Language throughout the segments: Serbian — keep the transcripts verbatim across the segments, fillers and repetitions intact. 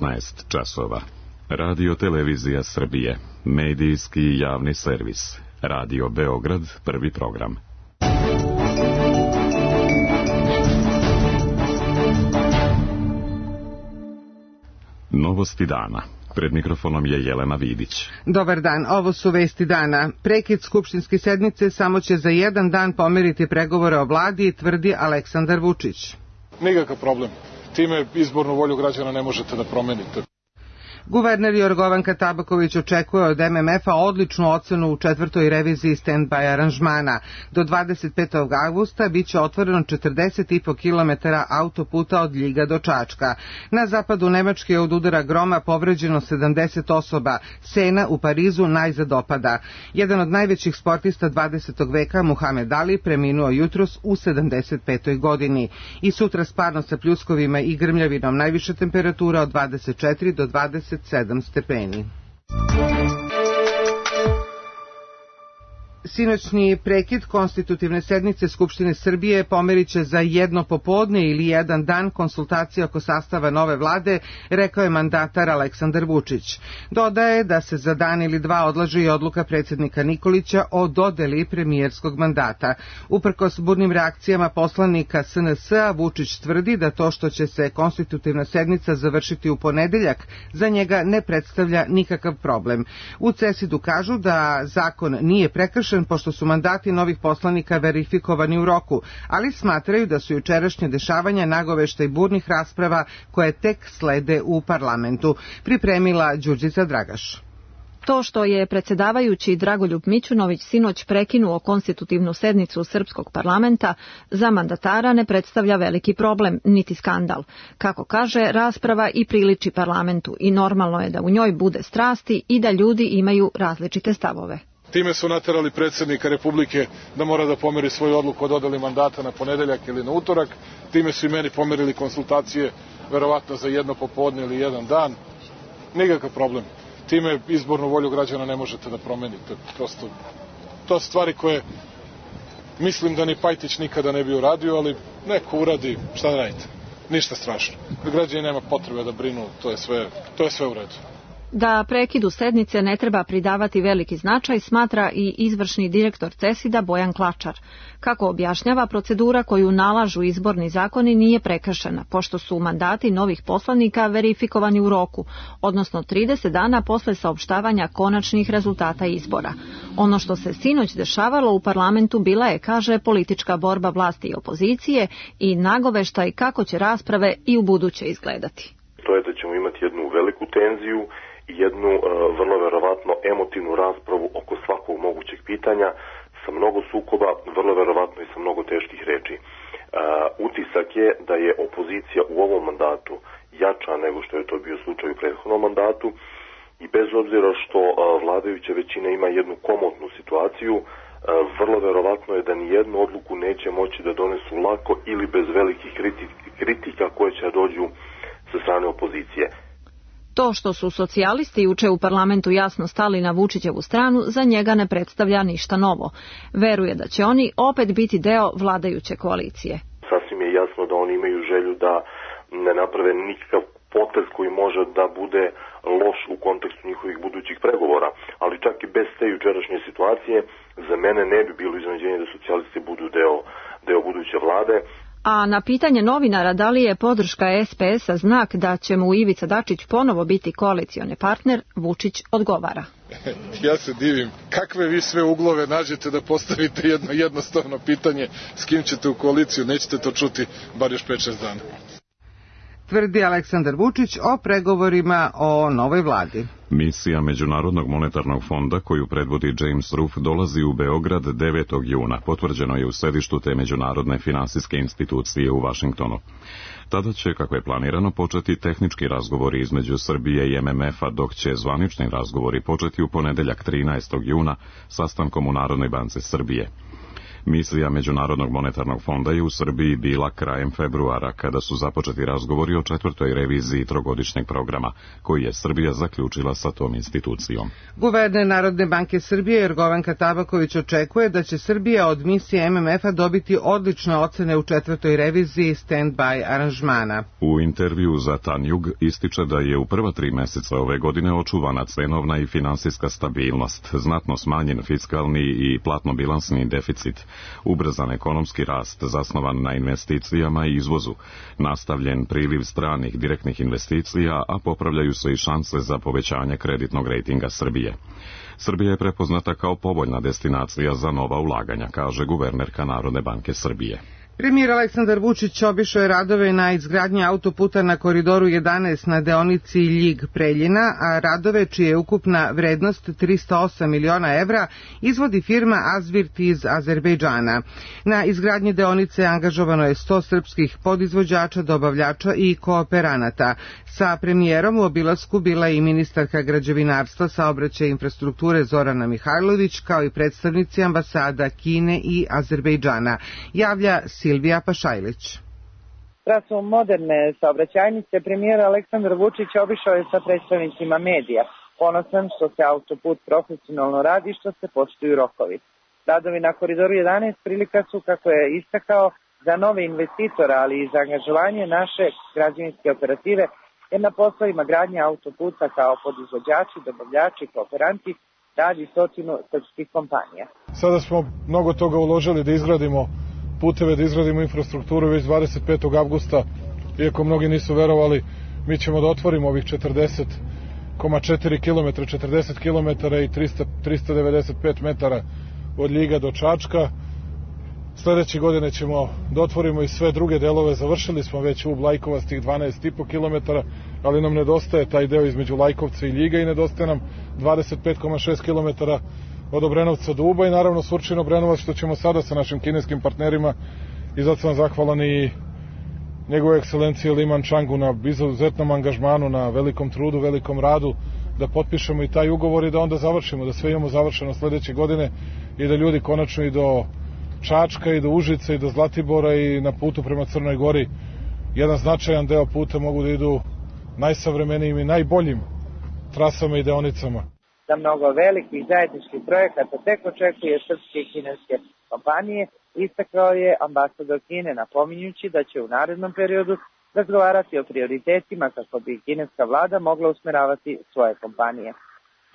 devetnaest časova. Radio Televizija Srbije, medijski javni servis. Radio Beograd, prvi program. Novosti dana. Pred mikrofonom je Jelena Vidić. Dobar dan, ovo su vesti dana. Prekid skupštinske sednice samo će za jedan dan pomeriti pregovore o vladi, tvrdi Aleksandar Vučić. Nikakav problem. Time izbornu volju građana ne možete da promenite. Guverner Jorgovanka Tabaković očekuje od M M F-a odličnu ocenu u četvrtoj reviziji stand-by aranžmana. Do dvadeset petog avgusta biće otvoreno četrdeset i po kilometara autoputa od Ljiga do Čačka. Na zapadu Nemačke je od udara groma povređeno sedamdeset osoba. Sena u Parizu najzad opada. Jedan od najvećih sportista dvadesetog veka, Muhamed Ali, preminuo jutros u sedamdeset petoj godini. I sutra sparno sa pljuskovima i grmljavinom, najviša temperatura od dvadeset četiri do dvadeset sedam stepeni. Sinoćni prekid konstitutivne sednice Skupštine Srbije pomeriće za jedno popodne ili jedan dan konsultacije oko sastava nove vlade, rekao je mandatar Aleksandar Vučić. Dodaje da se za dan ili dva odlaže i odluka predsjednika Nikolića o dodeli premijerskog mandata. Uprkos burnim reakcijama poslanika S N S-a, Vučić tvrdi da to što će se konstitutivna sednica završiti u ponedeljak za njega ne predstavlja nikakav problem. U C E S I D-u kažu da zakon nije prekršen pošto su mandati novih poslanika verifikovani u roku, ali smatraju da su jučerašnje dešavanja nagoveštaj burnih rasprava koje tek slede u parlamentu. Pripremila Đurđica Dragaš. To što je predsjedavajući Dragoljub Mićunović sinoć prekinuo konstitutivnu sednicu srpskog parlamenta za mandatara ne predstavlja veliki problem, niti skandal. Kako kaže, rasprava i priliči parlamentu i normalno je da u njoj bude strasti i da ljudi imaju različite stavove. Time su naterali predsjednika Republike da mora da pomeri svoju odluku o dodeli mandata na ponedeljak ili na utorak. Time su i meni pomerili konsultacije, verovatno za jedno popodne ili jedan dan. Nikakav problem. Time izbornu volju građana ne možete da promenite. Prosto, to su stvari koje mislim da ni Pajtić nikada ne bi uradio, ali neko uradi, šta da radite? Ništa strašno. Građani nema potrebe da brinu, to je sve, to je sve u redu. Da prekidu sednice ne treba pridavati veliki značaj, smatra i izvršni direktor C E S I D-a Bojan Klačar. Kako objašnjava, procedura koju nalažu izborni zakoni nije prekršena, pošto su mandati novih poslanika verifikovani u roku, odnosno trideset dana posle saopštavanja konačnih rezultata izbora. Ono što se sinoć dešavalo u parlamentu bila je, kaže, politička borba vlasti i opozicije i nagoveštaj kako će rasprave i u buduće izgledati. To je da ćemo imati jednu veliku tenziju i jednu uh, vrlo verovatno emotivnu raspravu oko svakog mogućeg pitanja sa mnogo sukoba, vrlo verovatno i sa mnogo teških reči. Uh, utisak je da je opozicija u ovom mandatu jača nego što je to bio slučaj u prethodnom mandatu i bez obzira što uh, vladajuća većina ima jednu komotnu situaciju, uh, vrlo verovatno je da ni jednu odluku neće moći da donesu lako ili bez velikih kritika koje će dođu sa strane opozicije. To što su socijalisti juče u parlamentu jasno stali na Vučićevu stranu, za njega ne predstavlja ništa novo. Veruje da će oni opet biti deo vladajuće koalicije. Sasvim je jasno da oni imaju želju da ne naprave nikakav potez koji može da bude loš u kontekstu njihovih budućih pregovora, ali čak i bez te jučerašnje situacije za mene ne bi bilo iznenađenje da socijalisti budu deo, deo buduće vlade. A na pitanje novinara da li je podrška S P S-a znak da će mu Ivica Dačić ponovo biti koalicioni partner, Vučić odgovara. Ja se divim kakve vi sve uglove nađete da postavite jedno jednostavno pitanje s kim ćete u koaliciju, nećete to čuti bar još pet šest dana. Tvrdi Aleksandar Vučić o pregovorima o novoj vladi. Misija Međunarodnog monetarnog fonda koju predvodi James Ruff dolazi u Beograd devetog juna. Potvrđeno je u sedištu te međunarodne finansijske institucije u Vašingtonu. Tada će, kako je planirano, početi tehnički razgovori između Srbije i M M F-a, dok će zvanični razgovori početi u ponedeljak trinaestog juna sastankom u Narodnoj banci Srbije. Misija Međunarodnog monetarnog fonda je u Srbiji bila krajem februara, kada su započeti razgovori o četvrtoj reviziji trogodišnjeg programa, koji je Srbija zaključila sa tom institucijom. Guverner Narodne banke Srbije Jorgovanka Tabaković očekuje da će Srbija od misije M M F-a dobiti odlične ocene u četvrtoj reviziji stand-by aranžmana. U intervju za Tanjug ističe da je u prva tri meseca ove godine očuvana cenovna i finansijska stabilnost, znatno smanjen fiskalni i platno-bilansni deficit, ubrzan ekonomski rast zasnovan na investicijama i izvozu, nastavljen priliv stranih direktnih investicija, a popravljaju se i šanse za povećanje kreditnog rejtinga Srbije. Srbija je prepoznata kao povoljna destinacija za nova ulaganja, kaže guvernerka Narodne banke Srbije. Premijer Aleksandar Vučić obišao je radove na izgradnji autoputa na Koridoru jedanaest na deonici Ljig-Preljina, a radove čija je ukupna vrednost trista osam miliona evra izvodi firma Azvirt iz Azerbejdžana. Na izgradnji deonice angažovano je sto srpskih podizvođača, dobavljača i kooperanata. Sa premijerom u obilasku bila je i ministarka građevinarstva, saobraćaja i infrastrukture Zorana Mihajlović, kao i predstavnici ambasada Kine i Azerbejdžana. Javlja Silvija Pašajlić. Trasom moderne saobraćajnice premijer Aleksandar Vučić obišao je sa predstavnicima medija. Ponosan što se autoput profesionalno radi, što se poštuju rokovi. Radovi na Koridoru jedanaest prilika su, kako je istakao, za nove investitore, ali i za angažovanje naše građevinske operative, jer na poslovima gradnje autoputa kao podizvođači, dobavljači i kooperanti radi stotinu srpskih kompanija. Sada smo mnogo toga uložili da izgradimo puteve, da izgradimo infrastrukturu. Već dvadeset petog avgusta, iako mnogi nisu verovali, mi ćemo da otvorimo ovih četrdeset zarez četiri kilometra, četrdeset kilometara i trista devedeset pet metara od Ljiga do Čačka. Sledeće godine ćemo da otvorimo i sve druge delove. Završili smo već u Lajkovastih dvanaest zarez pet kilometara, ali nam nedostaje taj deo između Lajkovca i Ljiga i nedostaje nam dvadeset pet zarez šest kilometara od Obrenovca do Uba i naravno Surčin-Obrenovac, što ćemo sada sa našim kineskim partnerima, i zato sam zahvalan i njegove ekscelencije Liman Changu na izuzetnom angažmanu, na velikom trudu, velikom radu, da potpišemo i taj ugovor i da onda završimo, da sve imamo završeno sledeće godine i da ljudi konačno i do Čačka i do Užice i do Zlatibora i na putu prema Crnoj Gori, jedan značajan deo puta, mogu da idu najsavremenijim i najboljim trasama i deonicama. Da mnogo velikih zajedničkih projekata tek očekuje srpske i kineske kompanije, istakao je ambasador Kine, napominjući da će u narednom periodu razgovarati o prioritetima kako bi kineska vlada mogla usmeravati svoje kompanije.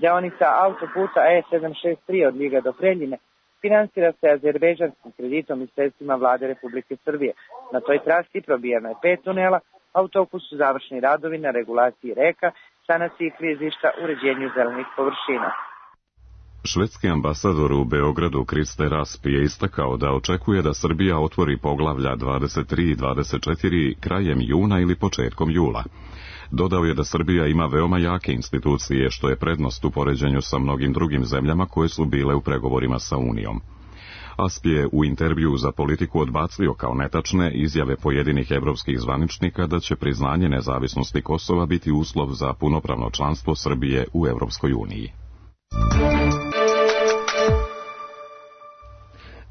Deonica autoputa E sedam šest tri od Ljiga do Preljine finansira se azerbejdžanskim kreditom i sredstvima vlade Republike Srbije. Na toj trasi probijeno je pet tunela, a u toku su završni radovi na regulaciji reka, sanaciji klizišta, uređenju zelenih površina. Švedski ambasador u Beogradu Kriste Rasp je istakao da očekuje da Srbija otvori poglavlja dvadeset tri i dvadeset četiri krajem juna ili početkom jula. Dodao je da Srbija ima veoma jake institucije, što je prednost u poređenju sa mnogim drugim zemljama koje su bile u pregovorima sa Unijom. Asp je u intervju za Politiku odbacio kao netačne izjave pojedinih evropskih zvaničnika da će priznanje nezavisnosti Kosova biti uslov za punopravno članstvo Srbije u Evropskoj uniji.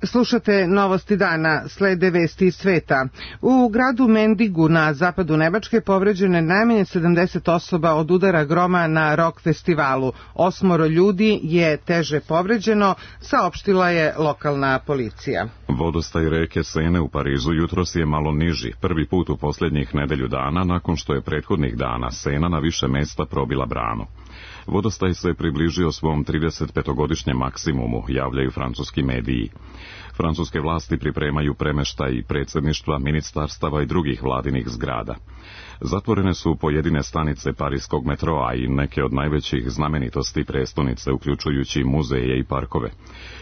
Slušate novosti dana, slede vesti iz sveta. U gradu Mendigu na zapadu Nemačke povređeno je najmanje sedamdeset osoba od udara groma na rock festivalu. Osmoro ljudi je teže povređeno, saopštila je lokalna policija. Vodostaj reke Sene u Parizu jutros je malo niži, prvi put u posljednjih nedelju dana nakon što je prethodnih dana Sena na više mesta probila branu. Vodostaj se približio svom trideset petogodišnjem maksimumu, javljaju francuski mediji. Francuske vlasti pripremaju premeštaj predsjedništva, ministarstava i drugih vladinih zgrada. Zatvorene su pojedine stanice parijskog metroa i neke od najvećih znamenitosti prestonice, uključujući muzeje i parkove.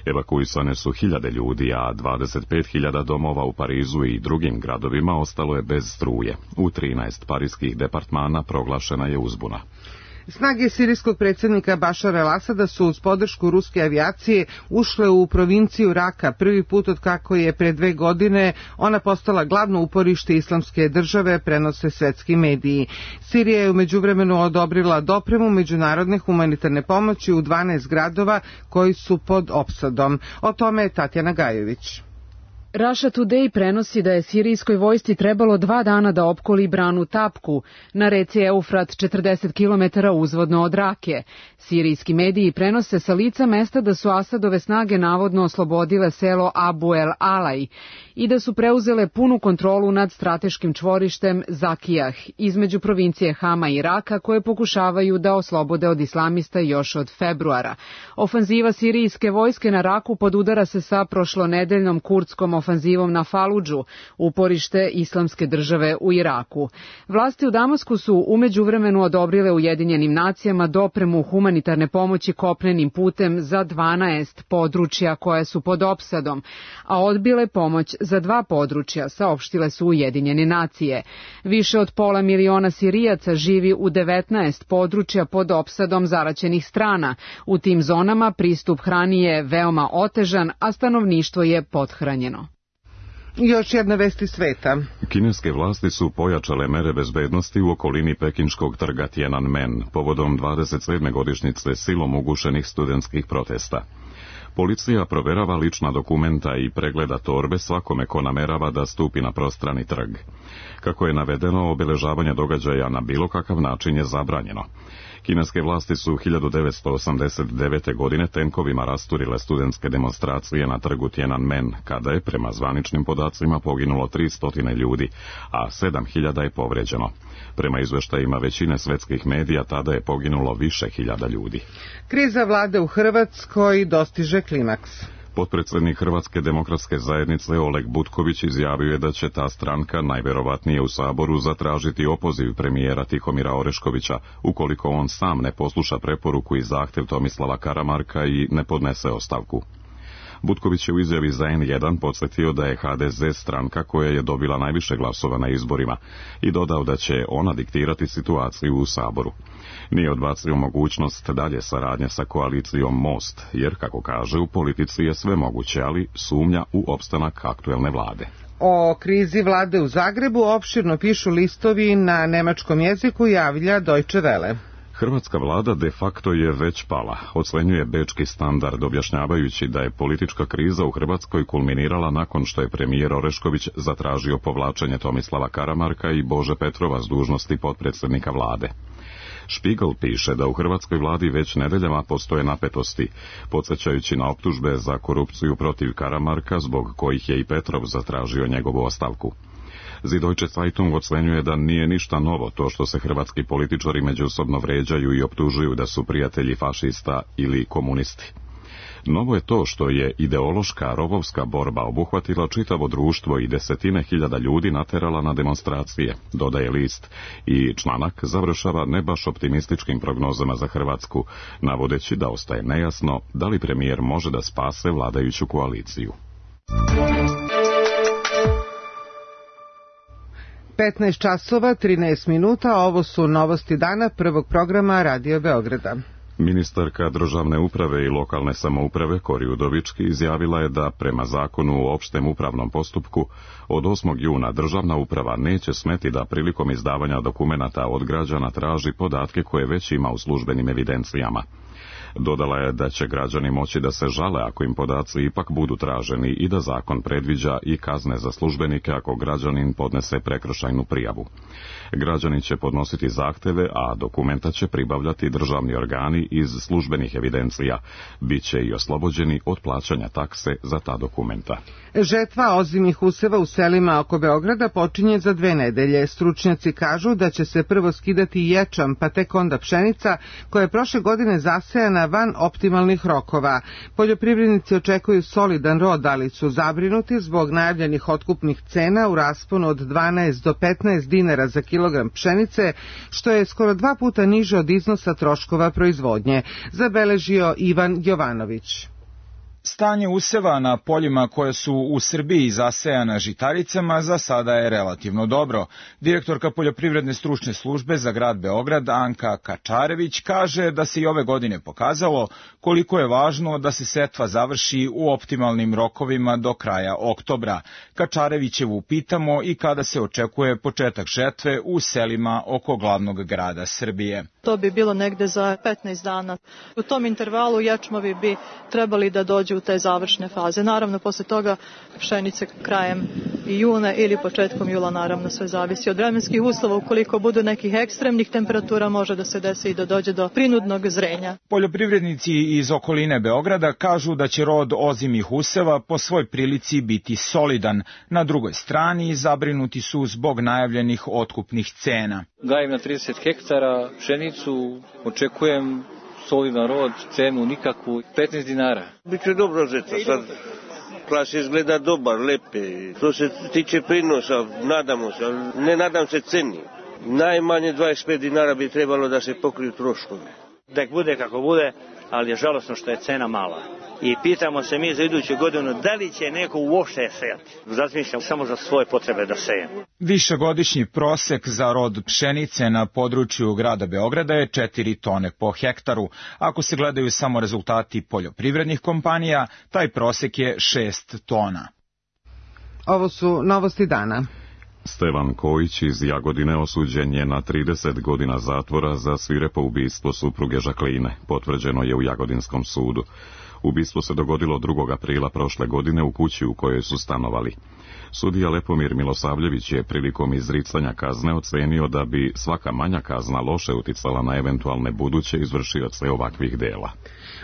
Evakuisane su hiljade ljudi, a dvadeset pet hiljada domova u Parizu i drugim gradovima ostalo je bez struje. U trinaest parijskih departmana proglašena je uzbuna. Snage sirijskog predsjednika Bašara el-Asada su uz podršku ruske avijacije ušle u provinciju Raka prvi put od kako je pre dve godine ona postala glavno uporište islamske države, prenose svetski mediji. Sirija je u međuvremenu odobrila dopremu međunarodne humanitarne pomoći u dvanaest gradova koji su pod opsadom. O tome je Tatjana Gajović. Russia Today prenosi da je sirijskoj vojsci trebalo dva dana da opkoli branu Tapku na reci Eufrat četrdeset kilometara uzvodno od Rake. Sirijski mediji prenose sa lica mesta da su Asadove snage navodno oslobodile selo Abu el Alaj i da su preuzele punu kontrolu nad strateškim čvorištem Zakijah između provincije Hama i Raka koje pokušavaju da oslobode od islamista još od februara. Ofanziva sirijske vojske na Raku podudara se sa prošlonedeljnom kurdskom ofanzivom na Faludžu, uporište islamske države u Iraku. Vlasti u Damasku su umeđuvremenu odobrile Ujedinjenim nacijama dopremu humanitarne pomoći kopnenim putem za dvanaest područja koje su pod opsadom, a odbile pomoć za dva područja, saopštile su Ujedinjene nacije. Više od pola miliona Sirijaca živi u devetnaest područja pod opsadom zaraćenih strana. U tim zonama pristup hrani je veoma otežan, a stanovništvo je pothranjeno. Još jedna vest iz sveta. Kineske vlasti su pojačale mere bezbednosti u okolini pekinškog trga Tiananmen povodom dvadeset sedme godišnjice silom ugušenih studentskih protesta. Policija proverava lična dokumenta i pregleda torbe svakome ko namerava da stupi na prostrani trg. Kako je navedeno, obeležavanje događaja na bilo kakav način je zabranjeno. Kineske vlasti su hiljadu devetsto osamdeset devete. godine tenkovima rasturile studentske demonstracije na trgu Tiananmen, kada je prema zvaničnim podacima poginulo tristo ljudi, a sedam hiljada je povređeno. Prema izveštajima većine svetskih medija tada je poginulo više hiljada ljudi. Kriza vlade u Hrvatskoj dostiže klimaks. Potpredsjednik Hrvatske demokratske zajednice Oleg Butković izjavio je da će ta stranka najverovatnije u Saboru zatražiti opoziv premijera Tihomira Oreškovića ukoliko on sam ne posluša preporuku i zahtjev Tomislava Karamarka i ne podnese ostavku. Butković je u izjavi za en jedan podsjetio da je ha de ze stranka koja je dobila najviše glasova na izborima i dodao da će ona diktirati situaciju u Saboru. Nije odbacio mogućnost dalje saradnje sa koalicijom Most, jer, kako kaže, u politici je sve moguće, ali sumnja u opstanak aktuelne vlade. O krizi vlade u Zagrebu opširno pišu listovi na nemačkom jeziku, javlja Deutsche Welle. Hrvatska vlada de facto je već pala, ocenjuje bečki Standard, objašnjavajući da je politička kriza u Hrvatskoj kulminirala nakon što je premijer Orešković zatražio povlačenje Tomislava Karamarka i Bože Petrova s dužnosti potpredsjednika vlade. Spiegel piše da u hrvatskoj vladi već nedeljama postoje napetosti, podsjećajući na optužbe za korupciju protiv Karamarka, zbog kojih je i Petrov zatražio njegovu ostavku. Die Deutsche Zeitung ocenjuje da nije ništa novo to što se hrvatski političari međusobno vređaju i optužuju da su prijatelji fašista ili komunisti. Novo je to što je ideološka rovovska borba obuhvatila čitavo društvo i desetine hiljada ljudi naterala na demonstracije, dodaje list, i članak završava ne baš optimističkim prognozama za Hrvatsku, navodeći da ostaje nejasno da li premijer može da spase vladajuću koaliciju. petnaest časova, trinaest minuta, ovo su novosti dana prvog programa Radio Beograda. Ministarka državne uprave i lokalne samouprave Kori Udovički izjavila je da prema zakonu o opštem upravnom postupku od osmog juna državna uprava neće smeti da prilikom izdavanja dokumenata od građana traži podatke koje već ima u službenim evidencijama. Dodala je da će građani moći da se žale ako im podaci ipak budu traženi i da zakon predviđa i kazne za službenike ako građanin podnese prekršajnu prijavu. Građani će podnositi zahteve, a dokumenta će pribavljati državni organi iz službenih evidencija. Biće i oslobođeni od plaćanja takse za ta dokumenta. Žetva ozimnih useva u selima oko Beograda počinje za dve nedelje. Stručnjaci kažu da će se prvo skidati ječam, pa tek onda pšenica, koja je prošle godine zasejana van optimalnih rokova. Poljoprivrednici očekuju solidan rod, ali su zabrinuti zbog najavljenih otkupnih cena u rasponu od dvanaest do petnaest dinara za kilogram pšenice, što je skoro dva puta niže od iznosa troškova proizvodnje, zabeležio Ivan Jovanović. Stanje useva na poljima koje su u Srbiji zasejana žitaricama za sada je relativno dobro. Direktorka poljoprivredne stručne službe za grad Beograd, Anka Kačarević, kaže da se i ove godine pokazalo koliko je važno da se setva završi u optimalnim rokovima do kraja oktobra. Kačarevićevu pitamo i kada se očekuje početak žetve u selima oko glavnog grada Srbije. To bi bilo negde za petnaest dana. U tom intervalu ječmovi bi trebali da dođu u te završne faze. Naravno, posle toga pšenice krajem juna ili početkom jula, naravno sve zavisi od vremenskih uslova. Ukoliko budu nekih ekstremnih temperatura, može da se desi i da dođe do prinudnog zrenja. Poljoprivrednici iz okoline Beograda kažu da će rod ozimih useva po svoj prilici biti solidan. Na drugoj strani zabrinuti su zbog najavljenih otkupnih cena. Gajem na trideset hektara pšenicu, očekujem solidan rod, cenu nikakvu, petnaest dinara. Biće dobro žeta, sad plas izgleda dobar, lepe. Što se tiče prinosa, nadamo se, ali ne nadam se ceni. Najmanje dvadeset pet dinara bi trebalo da se pokriju troškovi. Nek bude kako bude, ali je žalosno što je cena mala. I pitamo se mi za iduću godinu da li će neko uopšte sejati. Razmišljam samo za svoje potrebe da sejem. Višegodišnji prosek za rod pšenice na području grada Beograda je četiri tone po hektaru. Ako se gledaju samo rezultati poljoprivrednih kompanija, taj prosek je šest tona. Ovo su novosti dana. Stevan Kojić iz Jagodine osuđen je na trideset godina zatvora za svirepo ubistvo supruge Žakline, potvrđeno je u Jagodinskom sudu. Ubistvo se dogodilo drugog aprila prošle godine u kući u kojoj su stanovali. Sudija Lepomir Milosavljević je prilikom izricanja kazne ocenio da bi svaka manja kazna loše uticala na eventualne buduće izvršioce ovakvih dela.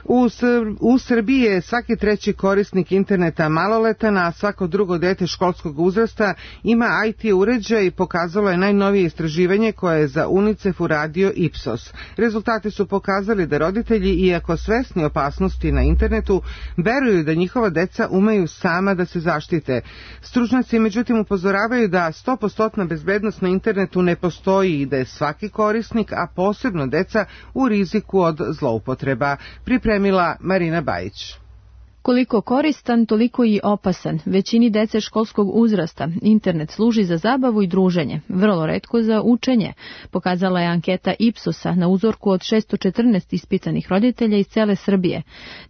U, Sr- u Srbiji je svaki treći korisnik interneta maloletan, a svako drugo dete školskog uzrasta ima I T uređaj, pokazalo je najnovije istraživanje koje je za UNICEF uradio Ipsos. Rezultati su pokazali da roditelji, iako svesni opasnosti na internetu, veruju da njihova deca umeju sama da se zaštite. Stručnjaci međutim upozoravaju da sto posto bezbednost na internetu ne postoji i da je svaki korisnik, a posebno deca, u riziku od zloupotreba. Pripremila Marina Bajić. Koliko koristan, toliko i opasan. Većini dece školskog uzrasta internet služi za zabavu i druženje, vrlo retko za učenje, pokazala je anketa Ipsosa na uzorku od šesto četrnaest ispitanih roditelja iz cele Srbije.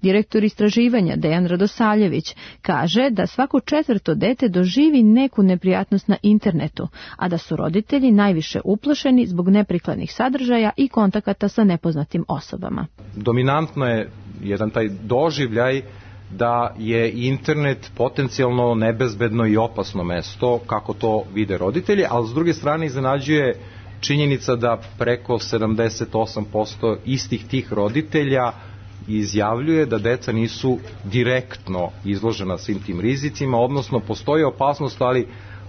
Direktor istraživanja Dejan Radosavljević kaže da svako četvrto dete doživi neku neprijatnost na internetu, a da su roditelji najviše uplašeni zbog neprikladnih sadržaja i kontakata sa nepoznatim osobama. Dominantno je jedan taj doživljaj da je internet potencijalno nebezbedno i opasno mesto, kako to vide roditelji, ali s druge strane iznenađuje činjenica da preko sedamdeset osam posto istih tih roditelja izjavljuje da deca nisu direktno izložena svim tim rizicima, odnosno postoji opasnost, ali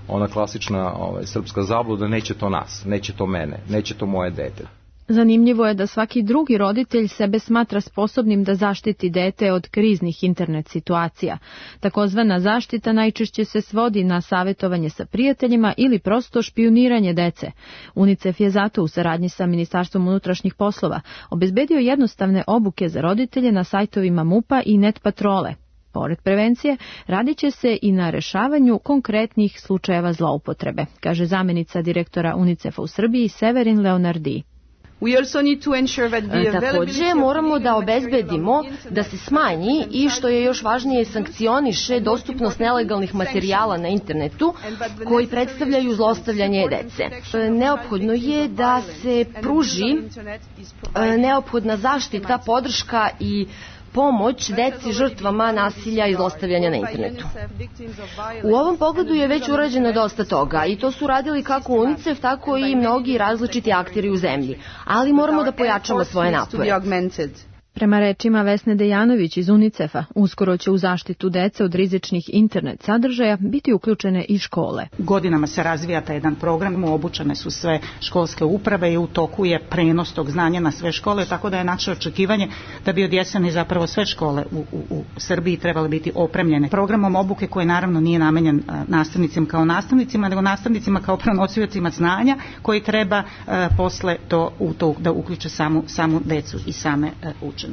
ona klasična ovaj, srpska zabluda, neće to nas, neće to mene, neće to moje dete. Zanimljivo je da svaki drugi roditelj sebe smatra sposobnim da zaštiti dete od kriznih internet situacija. Takozvana zaštita najčešće se svodi na savjetovanje sa prijateljima ili prosto špijuniranje dece. UNICEF je zato u saradnji sa Ministarstvom unutrašnjih poslova obezbedio jednostavne obuke za roditelje na sajtovima MUP-a i Net Patrole. Pored prevencije, radit će se i na rešavanju konkretnih slučajeva zloupotrebe, kaže zamjenica direktora UNICEF-a u Srbiji Severin Leonardi. Također moramo da obezbedimo da se smanji i, što je još važnije, sankcioniše dostupnost nelegalnih materijala na internetu koji predstavljaju zlostavljanje dece. Neophodno je da se pruži neophodna zaštita, podrška i pomoć deci žrtvama nasilja i zlostavljanja na internetu. U ovom pogledu je već urađeno dosta toga i to su radili kako UNICEF, tako i mnogi različiti akteri u zemlji, ali moramo da pojačamo svoje napore. Prema rečima Vesne Dejanović iz UNICEF-a, uskoro će u zaštitu dece od rizičnih internet sadržaja biti uključene i škole. Godinama se razvija taj jedan program, obučene su sve školske uprave i u toku je prenos tog znanja na sve škole, tako da je naše očekivanje da bi od jeseni zapravo sve škole u, u, u Srbiji trebale biti opremljene programom obuke koji naravno nije namenjen nastavnicima kao nastavnicima, nego nastavnicima kao prenosiocima znanja koji treba a, posle to, u to da uključe samu, samu decu i same a, učenike.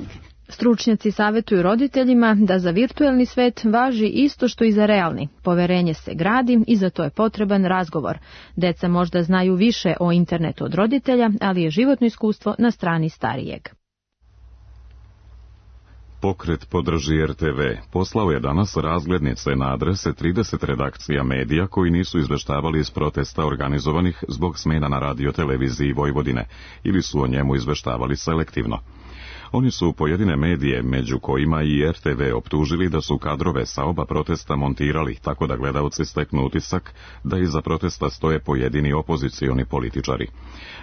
Stručnjaci savjetuju roditeljima da za virtuelni svet važi isto što i za realni. Poverenje se gradi i za to je potreban razgovor. Deca možda znaju više o internetu od roditelja, ali je životno iskustvo na strani starijeg. Pokret Podrži R T V poslao je danas razglednice na adrese trideset redakcija medija koji nisu izveštavali iz protesta organizovanih zbog smena na radio televiziji Vojvodine ili su o njemu izveštavali selektivno. Oni su pojedine medije, među kojima i R T V, optužili da su kadrove sa oba protesta montirali, tako da gledaoci steknu utisak da iza protesta stoje pojedini opozicioni političari.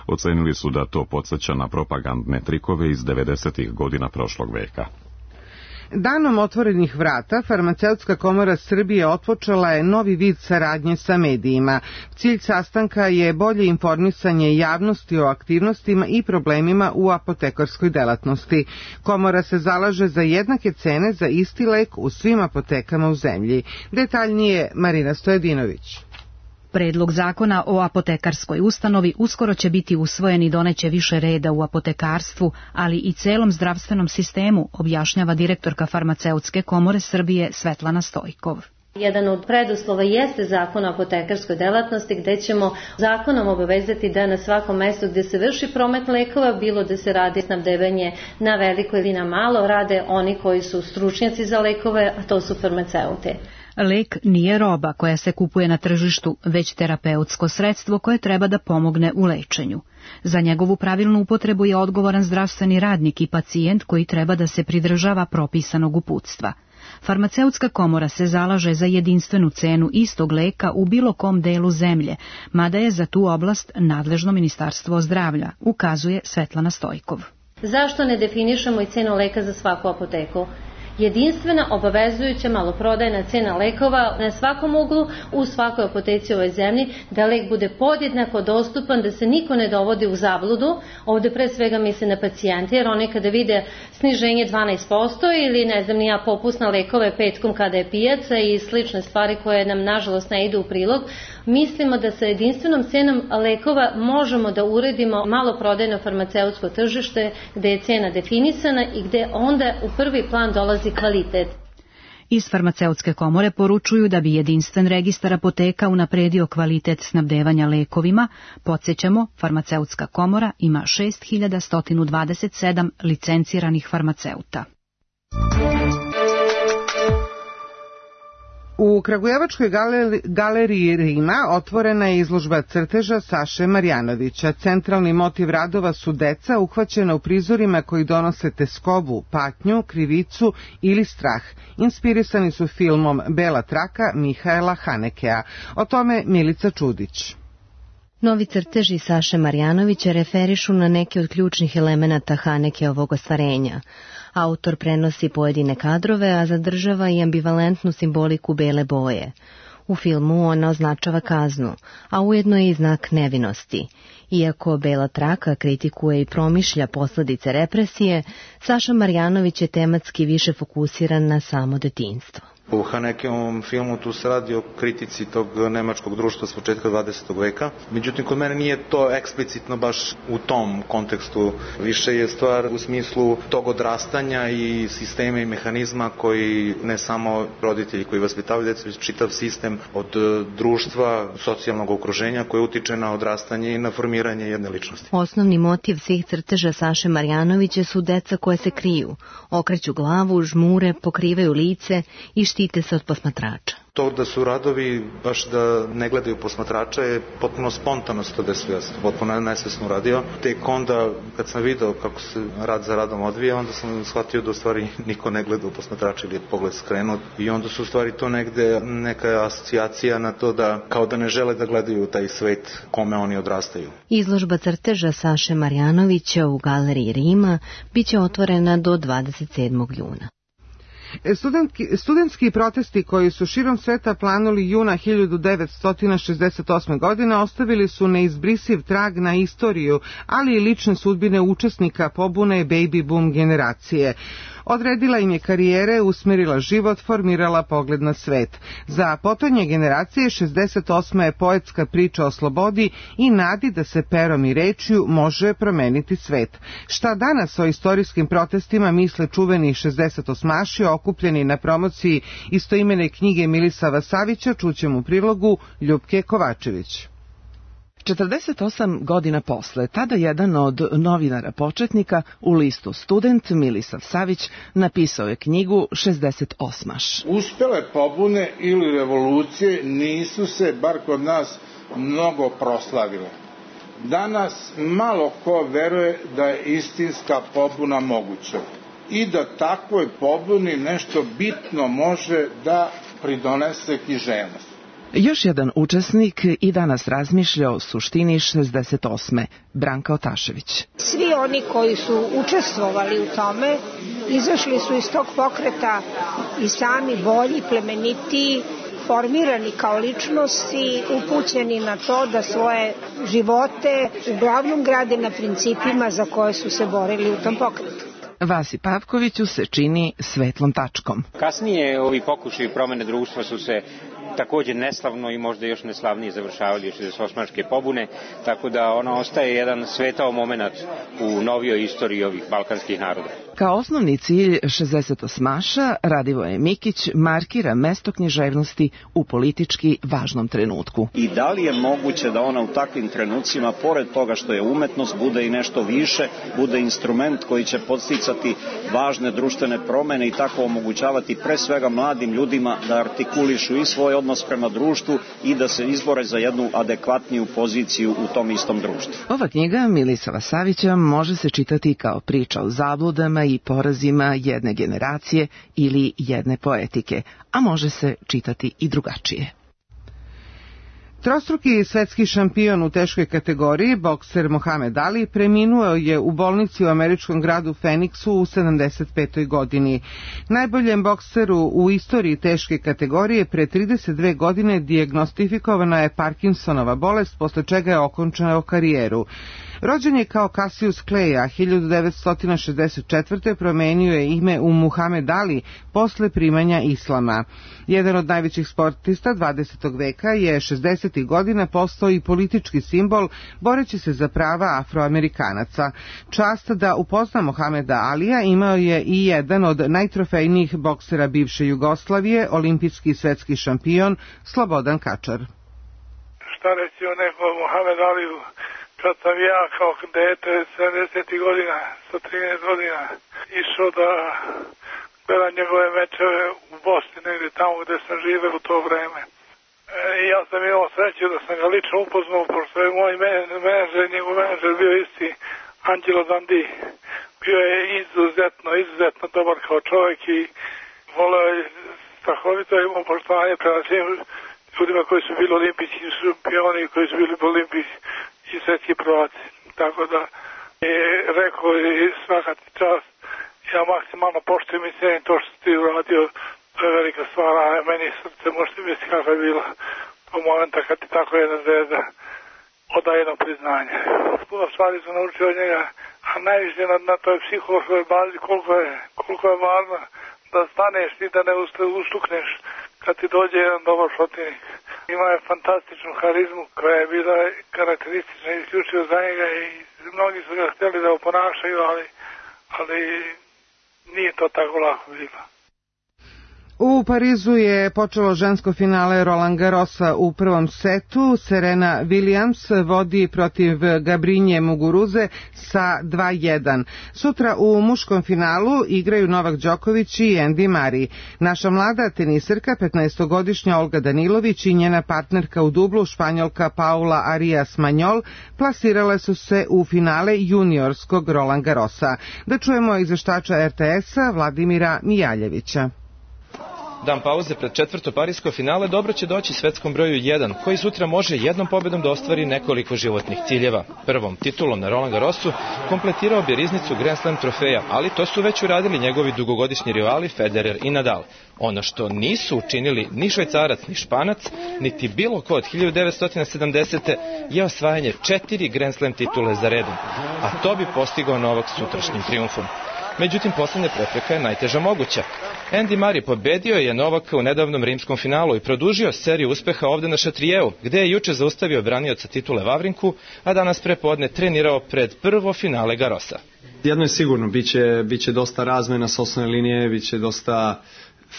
Ocenili su da to podsjeća na propagandne trikove iz devedesetih godina prošlog veka. Danom otvorenih vrata, Farmaceutska komora Srbije otpočela je novi vid saradnje sa medijima. Cilj sastanka je bolje informisanje javnosti o aktivnostima i problemima u apotekarskoj delatnosti. Komora se zalaže za jednake cene za isti lek u svim apotekama u zemlji. Detaljnije Marina Stojedinović. Predlog zakona o apotekarskoj ustanovi uskoro će biti usvojen i doneće više reda u apotekarstvu, ali i celom zdravstvenom sistemu, objašnjava direktorka Farmaceutske komore Srbije Svetlana Stojkov. Jedan od preduslova jeste zakon o apotekarskoj delatnosti, gde ćemo zakonom obavezati da na svakom mestu gde se vrši promet lekova, bilo da se radi snabdevanje na veliko ili na malo, rade oni koji su stručnjaci za lekove, a to su farmaceuti. Lek nije roba koja se kupuje na tržištu, već terapeutsko sredstvo koje treba da pomogne u lečenju. Za njegovu pravilnu upotrebu je odgovoran zdravstveni radnik i pacijent koji treba da se pridržava propisanog uputstva. Farmaceutska komora se zalaže za jedinstvenu cenu istog leka u bilo kom delu zemlje, mada je za tu oblast nadležno Ministarstvo zdravlja, ukazuje Svetlana Stojkov. Zašto ne definišemo i cenu leka za svaku apoteku? Jedinstvena, obavezujuća maloprodajna cena lekova na svakom uglu u svakoj apoteci u ovoj zemlji, da lek bude podjednako dostupan, da se niko ne dovodi u zabludu. Ovde pre svega misle na pacijente, jer oni kada vide sniženje dvanaest posto ili ne znam nija popust na lekove petkom kada je pijaca i slične stvari koje nam nažalost ne idu u prilog, mislimo da sa jedinstvenom cenom lekova možemo da uredimo maloprodajno farmaceutsko tržište gde je cena definisana i gde onda u prvi plan dolazi kvalitet. Iz Farmaceutske komore poručuju da bi jedinstven registar apoteka unapredio kvalitet snabdevanja lekovima. Podsjećamo, Farmaceutska komora ima šest hiljada sto dvadeset sedam licenciranih farmaceuta. U Kragujevačkoj galeriji, galeriji Rima otvorena je izložba crteža Saše Marjanovića. Centralni motiv radova su deca uhvaćena u prizorima koji donose teskobu, patnju, krivicu ili strah. Inspirisani su filmom Bela traka Mihaela Hanekea. O tome Milica Čudić. Novi crteži Saše Marjanovića referišu na neke od ključnih elemenata Hanekeovog ostvarenja. Autor prenosi pojedine kadrove, a zadržava i ambivalentnu simboliku bele boje. U filmu ona označava kaznu, a ujedno je i znak nevinosti. Iako Bela traka kritikuje i promišlja posledice represije, Saša Marjanović je tematski više fokusiran na samo detinjstvo. U Hanekeovom filmu tu se radi o kritici tog nemačkog društva s početka dvadesetog veka. Međutim, kod mene nije to eksplicitno baš u tom kontekstu. Više je stvar u smislu tog odrastanja i sistema i mehanizma koji ne samo roditelji koji vaspitavaju decu, već čitav sistem od društva, socijalnog okruženja koje utiče na odrastanje i na formiranje jedne ličnosti. Osnovni motiv svih crteža Saše Marjanovića su deca koje se kriju, okreću glavu, žmure, pokrivaju lice i štite se od posmatrača. To da su radovi baš da ne gledaju posmatrača je potpuno spontano se to desilo, ja sam potpuno nesvesno uradio. Tek onda kad sam video kako se rad za radom odvija, onda sam shvatio da u stvari niko ne gleda u posmatrača ili je pogled skrenut i onda su u stvari to negde neka asocijacija na to da kao da ne žele da gledaju taj svet kome oni odrastaju. Izložba crteža Saše Marjanovića u galeriji Rima biće otvorena do dvadeset sedmog juna. Studentski, studentski protesti koji su širom sveta planuli juna hiljadu devetsto šezdeset osme. godine ostavili su neizbrisiv trag na istoriju, ali i lične sudbine učesnika pobune baby boom generacije. Odredila im je karijere, usmerila život, formirala pogled na svet. Za potonje generacije šezdeset osma je poetska priča o slobodi i nadi da se perom i rečju može promeniti svet. Šta danas o istorijskim protestima misle čuveni šezdesetosmaši okupljeni na promociji istoimene knjige Milisava Savića, čućemo u prilogu Ljupke Kovačević. četrdeset osam godina posle, tada jedan od novinara početnika u listu Student, Milisav Savić, napisao je knjigu šezdeset osmaš. Uspele pobune ili revolucije nisu se, bar kod nas, mnogo proslavile. danas malo ko veruje da je istinska pobuna moguća i da takvoj pobuni nešto bitno može da pridonese književnost. Još jedan učesnik i danas razmišlja o suštini šezdeset osme. Branka Otašević. Svi oni koji su učestvovali u tome izašli su iz tog pokreta i sami bolji, plemenitiji, formirani kao ličnosti, upućeni na to da svoje živote uglavnom grade na principima za koje su se borili u tom pokretu. Vasi Pavkoviću se čini svetlom tačkom. Kasnije ovi pokušaji promene društva su se također neslavno i možda još neslavnije završavali šezdeset osmaške pobune, tako da ona ostaje jedan svetao moment u novijoj istoriji ovih balkanskih naroda. Kao osnovni cilj šezdeset osmaša Radivoje Mikić markira mesto književnosti u politički važnom trenutku. I da li je moguće da ona u takvim trenucima, pored toga što je umetnost, bude i nešto više, bude instrument koji će podsticati važne društvene promene i tako omogućavati pre svega mladim ljudima da artikulišu i svoj odnos prema društvu i da se izbore za jednu adekvatniju poziciju u tom istom društvu. Ova knjiga Milisava Savića može se čitati kao priča o zabludama i porazima jedne generacije ili jedne poetike, a može se čitati i drugačije. Trostruki svetski šampion u teškoj kategoriji, bokser Mohamed Ali, preminuo je u bolnici u američkom gradu Phoenixu u sedamdeset petoj godini. Najboljem bokseru u istoriji teške kategorije pre trideset dve godine dijagnostifikovana je Parkinsonova bolest, posle čega je okončao karijeru. Rođen je kao Cassius Clay, a hiljadu devetsto šezdeset četvrte promenio je ime u Muhamed Ali posle primanja islama. Jedan od najvećih sportista dvadesetog veka je šezdesetih godina postao i politički simbol, boreći se za prava Afroamerikanaca. Čast da upozna Mohameda Alija imao je i jedan od najtrofejnijih boksera bivše Jugoslavije, olimpijski svetski šampion Slobodan Kačar. Šta reći o nekom Mohamed Aliju? Kad sam ja kao dete sedamdesetih godina, sa trinaest godina, išao da gledam njegove mečeve u Bosni, negdje tamo gde sam živeo u to vreme. I ja sam imao sreću da sam ga lično upoznao, pošto je moj menadžer, njegov menadžer bio isti Angelo Dandi. Bio je izuzetno, izuzetno dobar kao čovjek i voleo je strahovito imao poštovanje prema svim ljudima koji su bili olimpijski šampioni i koji su bili olimpijski i svetski prvaci. Tako da je rekao i svaka ti čast, ja maksimalno poštujem i cijenim to što si ti uradio, to je velika stvar, a meni srce možete misliti kako je bilo to momenta kad ti tako jedna zvezda oda jedno priznanje. Puno stvari sam naučio od njega, a najviše na, na toj psihološkoj bazi koliko je, koliko je važno da staneš i da ne ustukneš kad ti dođe jedan dobar protivnik. Ima je fantastičnu harizmu koja je bila karakteristična i isključivo za njega i mnogi su ga htjeli da oponašaju, ali, ali nije to tako lako bilo. U Parizu je počelo žensko finale Roland Garrosa u prvom setu. Serena Williams vodi protiv Gabrinje Muguruze sa dva jedan. Sutra u muškom finalu igraju Novak Đoković i Andy Murray. Naša mlada teniserka, petnaestogodišnja Olga Danilović i njena partnerka u dublu, Španjolka Paula Arias Manjol, plasirale su se u finale juniorskog Roland Garrosa. Da čujemo izveštača er te es-a Vladimira Mijaljevića. Dan pauze pred četvrto parisko finale dobro će doći svetskom broju jedan, koji sutra može jednom pobedom da ostvari nekoliko životnih ciljeva. Prvom titulom na Roland Garrosu kompletirao bi riznicu Grand Slam trofeja, ali to su već uradili njegovi dugogodišnji rivali Federer i Nadal. Ono što nisu učinili ni Švajcarac ni Španac, niti bilo ko od hiljadu devetsto sedamdesete je osvajanje četiri Grand Slam titule za redom, a to bi postigao Novak sutrašnjim triumfom. Međutim, poslednja prepreka je najteža moguća. Andy Murray pobedio je Novaka u nedavnom rimskom finalu i produžio seriju uspeha ovde na Šatrijevu, gde je juče zaustavio branioca titule Vavrinku, a danas prepodne trenirao pred prvo finale Garrosa. Jedno je sigurno, biće, biće dosta razmena s osnovne linije, biće dosta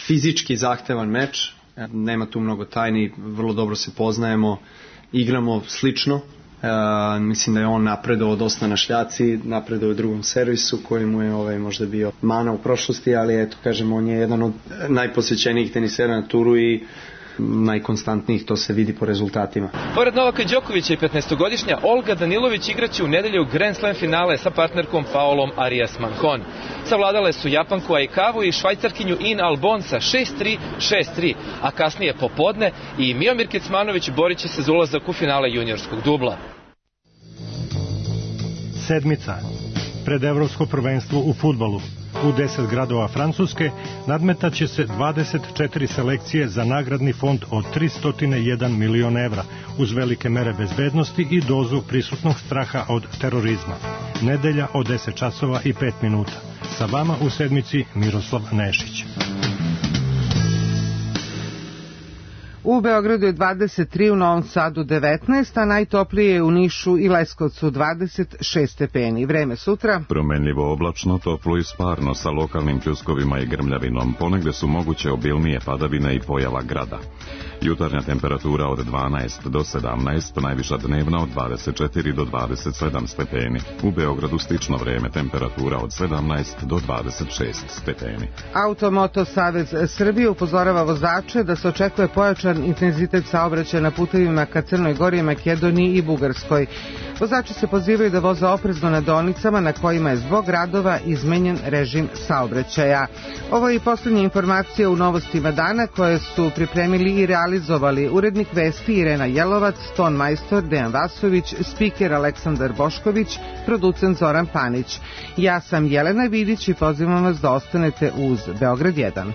fizički zahtevan meč, nema tu mnogo tajni, vrlo dobro se poznajemo, igramo slično. Uh, mislim da je on napredovao dosta na šljaci, napredovao u drugom servisu koji mu je ovaj, možda bio mana u prošlosti, ali eto kažem on je jedan od najposvećenijih tenisera na turu i najkonstantnijih, to se vidi po rezultatima. Pored Novaka Đokovića i petnaestogodišnja Olga Danilović igraće u nedelju Grand Slam finale sa partnerkom Paolom Arias Mancon. Savladale su Japanku Aikavu i Švajcarkinju In Albon sa šest tri, šest tri, a kasnije popodne i Miomir Kecmanović borit će se za ulazak u finale juniorskog dubla. Sedmica. Pred evropsko prvenstvo u fudbalu. U deset gradova Francuske nadmetaće se dvadeset četiri selekcije za nagradni fond od tristo jedan milion evra, uz velike mere bezbednosti i dozu prisutnog straha od terorizma. Nedelja od deset časova i pet minuta. Sa vama u sedmici Miroslav Nešić. U Beogradu je dvadeset tri, u Novom Sadu devetnaest, a najtoplije je u Nišu i Leskovcu dvadeset šest stepeni. Vreme sutra. Promenljivo oblačno, toplo i sparno sa lokalnim pljuskovima i grmljavinom. Ponegde su moguće obilnije padavine i pojava grada. Jutarnja temperatura od dvanaest do sedamnaest, najviša dnevna od dvadeset četiri do dvadeset sedam stepeni. U Beogradu slično vreme, temperatura od sedamnaest do dvadeset šest stepeni. Automoto Savez Srbije upozorava vozače da se očekuje pojačan intenzitet saobraćaja na putevima ka Crnoj Gori, Makedoniji i Bugarskoj. Vozači se pozivaju da voze oprezno na deonicama na kojima je zbog radova izmenjen režim saobraćaja. Ovo je i poslednja informacija u novostima dana koje su pripremili i realizovali urednik vesti Irena Jelovac, ton majstor Dejan Vasović, spiker Aleksandar Bošković, producent Zoran Panić. Ja sam Jelena Vidić i pozivam vas da ostanete uz Beograd jedan.